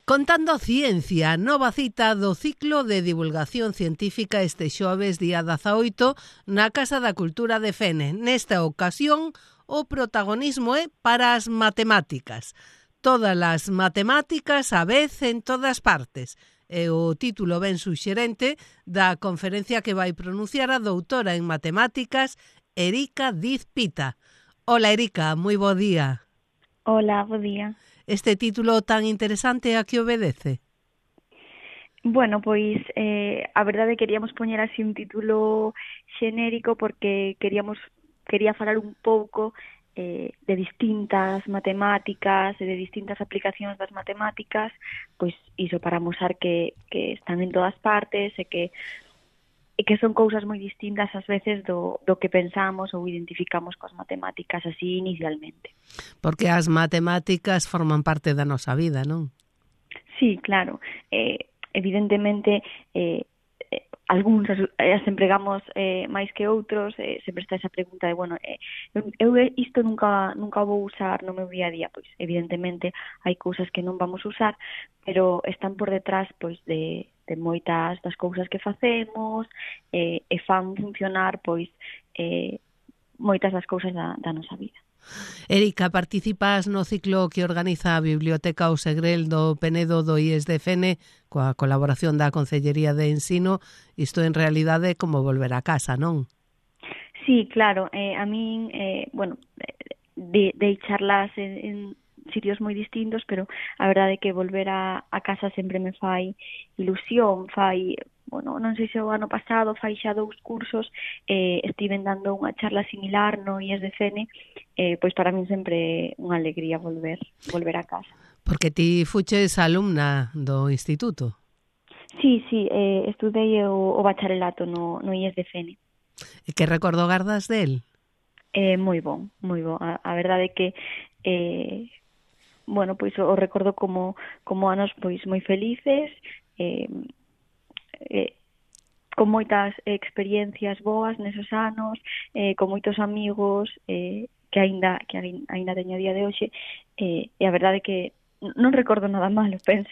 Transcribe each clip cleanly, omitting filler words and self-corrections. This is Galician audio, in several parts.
Contando ciencia, nova cita do ciclo de divulgación científica este xoves día 18 na Casa da Cultura de Fene. Nesta ocasión, o protagonismo é para as matemáticas. Todas as matemáticas a vez en todas partes. É o título ben suxerente da conferencia que vai pronunciar a doutora en matemáticas Erika Diz Pita. Hola Erika, moi bo día. Hola, bo día. Este título tan interesante a que obedece? Bueno, pois a verdade queríamos poñer así un título xenérico porque quería falar un pouco de distintas matemáticas e de distintas aplicacións das matemáticas, pois iso para mostrar que están en todas partes e que son cousas moi distintas ás veces do que pensamos ou identificamos coas matemáticas así inicialmente. Porque as matemáticas forman parte da nosa vida, non? Sí, claro. Evidentemente, algúns as empregamos máis que outros, sempre está esa pregunta de, bueno, eu isto nunca vou usar no meu día a día, pois evidentemente hai cousas que non vamos usar, pero están por detrás pois de moitas das cousas que facemos e fan funcionar pois moitas das cousas da nosa vida. Erika, participas no ciclo que organiza a Biblioteca O Segrel do Penedo do IES de Fene coa colaboración da Concellería de Ensino. Isto en realidade é como volver a casa, non? Sí, claro. A min, dei charlas en sitios moi distintos, pero a verdade é que volver a casa sempre me fai ilusión, non sei se o ano pasado fai xa 2 cursos, estiven dando unha charla similar no IES de Fene, pois para min sempre unha alegría volver a casa. Porque ti fuches alumna do instituto. Sí, estudei o bacharelato no IES de Fene. E que recordo gardas del? Moi bon. A verdade é que pois o recordo como anos pois moi felices, con moitas experiencias boas nesos anos, con moitos amigos que aínda teño a día de hoxe, e a verdade é que non recordo nada malo, penso.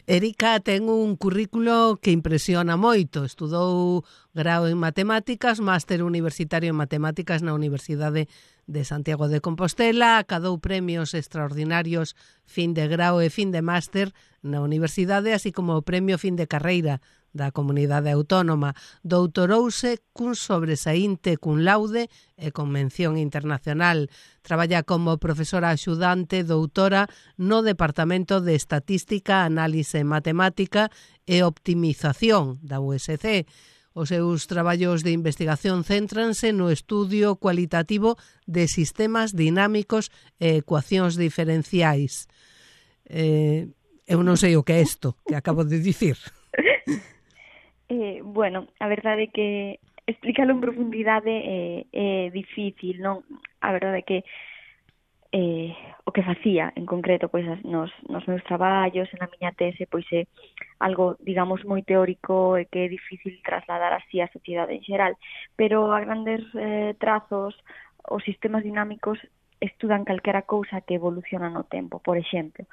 Erika ten un currículo que impresiona moito. Estudou grao en matemáticas, máster universitario en matemáticas na Universidade de Santiago de Compostela, acadou premios extraordinarios fin de grao e fin de máster na universidade, así como o premio fin de carreira da Comunidade Autónoma. Doutorouse cun sobresaínte cum laude e con mención internacional. Traballa como profesora axudante doutora no Departamento de Estatística, Análise Matemática e Optimización da USC. Os seus traballos de investigación céntranse no estudio cualitativo de sistemas dinámicos e ecuacións diferenciais. Eu non sei o que é isto que acabo de dicir. A verdade é que explícalo en profundidade é difícil, non? A verdade é que o que facía en concreto pois nos meus traballos, na miña tese, pois é algo, digamos, moi teórico e que é difícil trasladar así á sociedade en xeral, pero a grandes trazos os sistemas dinámicos estudan calquera cousa que evoluciona no tempo. Por exemplo,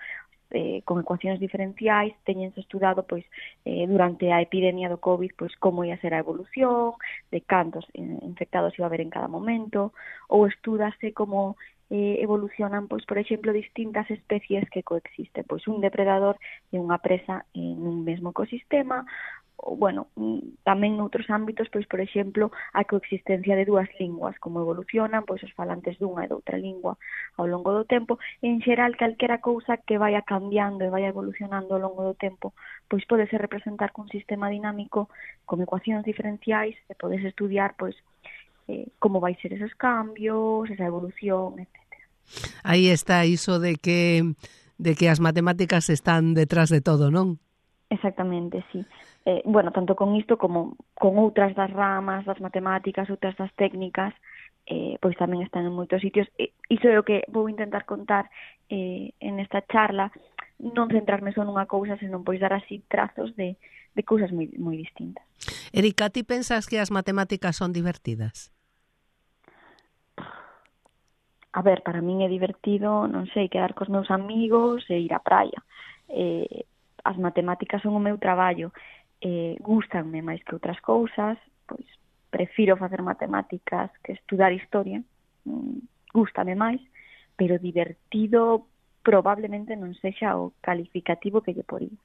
con ecuacións diferenciais teñense estudado pois durante a epidemia do COVID pois como ia ser a evolución, de cantos infectados iba a haber en cada momento, ou estúdase como evolucionan pois por exemplo distintas especies que coexisten, pois un depredador e unha presa en un mesmo ecosistema. Tamén noutros ámbitos, pois, por exemplo, a coexistencia de dúas linguas, como evolucionan pois os falantes dunha e doutra lingua ao longo do tempo. En xeral, calquera cousa que vaya cambiando e vaya evolucionando ao longo do tempo, pois podese representar cun sistema dinámico con ecuacións diferenciais e podes estudiar pois como vai ser esos cambios, esa evolución, etc. Aí está iso de que as matemáticas están detrás de todo, non? Exactamente, sí. Tanto con isto como con outras das ramas das matemáticas, outras das técnicas, pois tamén están en moitos sitios. Iso é o que vou intentar contar en esta charla, non centrarme só nunha cousa, senón pois dar así trazos de cousas moi distintas. Erika, ti pensas que as matemáticas son divertidas? A ver, para min é divertido, non sei, quedar cos meus amigos e ir á praia. as matemáticas son o meu traballo, gustanme máis que outras cousas, pois prefiro facer matemáticas que estudar historia, gústame máis, pero divertido probablemente non sexa o calificativo que lle poría.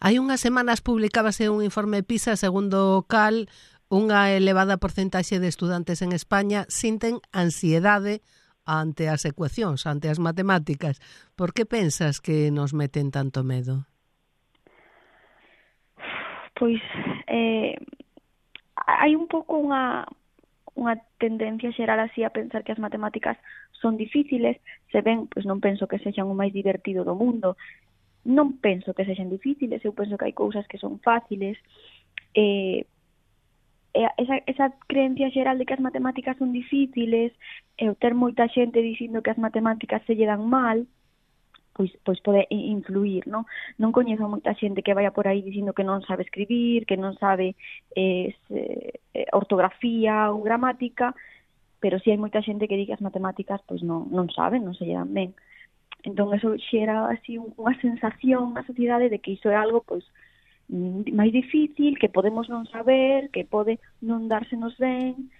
Hai unhas semanas publicábase un informe PISA segundo o cal unha elevada porcentaxe de estudantes en España sinten ansiedade ante as ecuacións, ante as matemáticas. Por que pensas que nos meten tanto medo? Pois hai un pouco unha tendencia xeral así a pensar que as matemáticas son difíciles, se ben, pois non penso que sexan o máis divertido do mundo, non penso que sexan difíciles, eu penso que hai cousas que son fáciles, esa creencia xeral de que as matemáticas son difíciles, e o ter moita xente dicindo que as matemáticas se lle dan mal, pois pode influir, non? Non coñezo moita xente que vaya por aí dicindo que non sabe escribir, que non sabe ortografía ou gramática, pero si hai moita xente que di que as matemáticas pois non saben, non se lle dan ben. Entón, eso xera así unha sensación na sociedade de que iso é algo pois máis difícil, que podemos non saber, que pode non dársenos ben.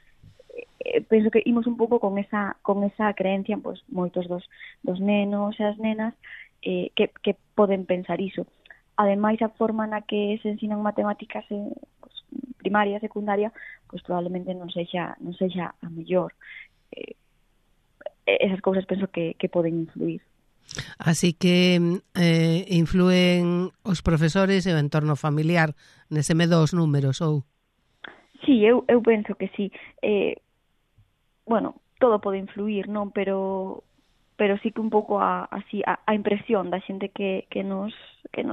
Penso que imos un pouco con esa creencia, pois moitos dos nenos e as nenas que poden pensar iso. Ademais, a forma na que se ensinan matemáticas pois, primaria, secundaria, pois probablemente non sexa a mellor. Esas cousas penso que poden influir. Así que influen os profesores e o entorno familiar nese medo aos números, ou? Sí, eu penso que sí. Bueno, todo pode influir, non? Pero sí que un pouco a impresión da xente que nos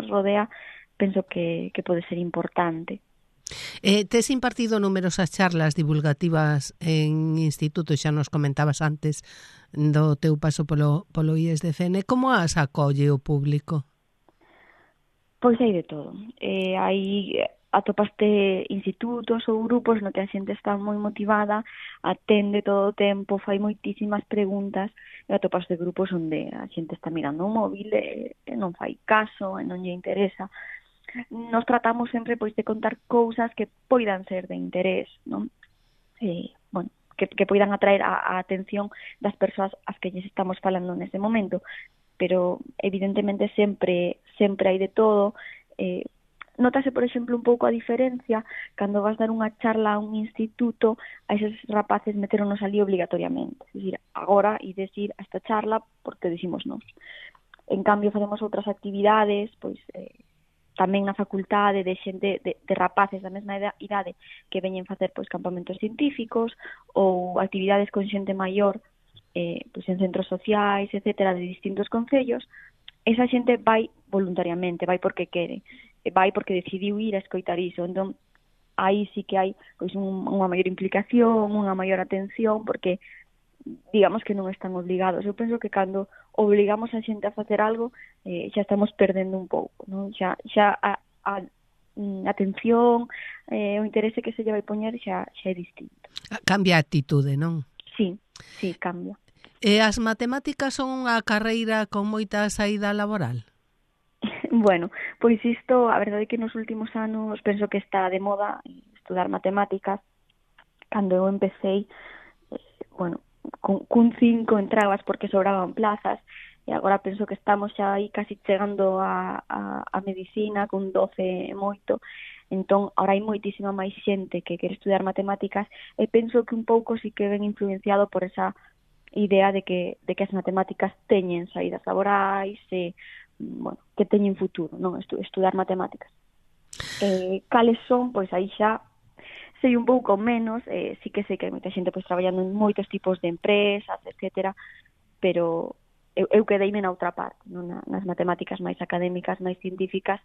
rodea, penso que pode ser importante. Tes impartido numerosas charlas divulgativas en institutos, xa nos comentabas antes do teu paso polo IESDFN. Como as acolle o público? Pois hai de todo. Atopaste institutos ou grupos no que a xente está moi motivada, atende todo o tempo, fai moitísimas preguntas, e atopaste grupos onde a xente está mirando o móvil e non fai caso, e non lle interesa. Nos tratamos sempre pois de contar cousas que poidan ser de interés, non? Bueno, que poidan atraer a atención das persoas ás que lles estamos falando nese momento, pero evidentemente sempre hai de todo. Notase, por exemplo, un pouco a diferencia cando vas dar unha charla a un instituto, a eses rapaces meteronos ali obligatoriamente. É dicir, agora ides ir a esta charla porque decimos nós. En cambio, facemos outras actividades, pois tamén na facultade de xente de rapaces da mesma idade que veñen facer pois campamentos científicos ou actividades con xente maior pois en centros sociais, etcétera, de distintos concellos. Esa xente vai voluntariamente, vai porque quere, vai porque decidiu ir a escoitar iso. Entón, aí sí que hai pois unha maior implicación, unha maior atención, porque digamos que non están obligados. Eu penso que cando obligamos a xente a facer algo, xa estamos perdendo un pouco, non? Xa a atención, o interese que se lle vai poñer xa é distinto. Cambia a actitude, non? Sí, cambia. E as matemáticas son unha carreira con moita saída laboral? Bueno, pois isto, a verdade é que nos últimos anos penso que está de moda estudar matemáticas. Cando eu empecé, bueno, cun 5 entrabas porque sobraban plazas, e agora penso que estamos xa aí casi chegando a medicina, cun 12 moito. Entón, agora hai moitísima máis xente que quere estudiar matemáticas, e penso que un pouco sí que ven influenciado por esa idea de que as matemáticas teñen saídas laborais e, bueno, que teñen futuro, non? Estudar matemáticas. Cales son? Pois aí xa sei un pouco menos, sí que sei que hai moita xente pois traballando en moitos tipos de empresas, etcétera, pero eu quedeime na outra parte, non? Nas matemáticas máis académicas, máis científicas,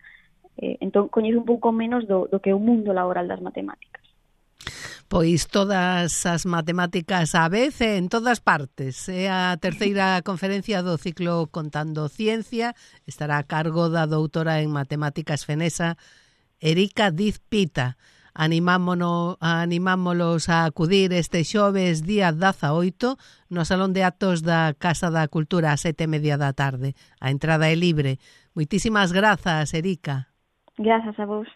entón coñezo un pouco menos do que é o mundo laboral das matemáticas. Pois todas as matemáticas á vez en todas partes. É a terceira conferencia do ciclo Contando Ciencia. Estará a cargo da doutora en matemáticas fenesa Erika Diz Pita. animámolos a acudir este xoves día 18 no Salón de Actos da Casa da Cultura a 7:30 da tarde. A entrada é libre. Moitísimas grazas, Erica. Grazas a vos.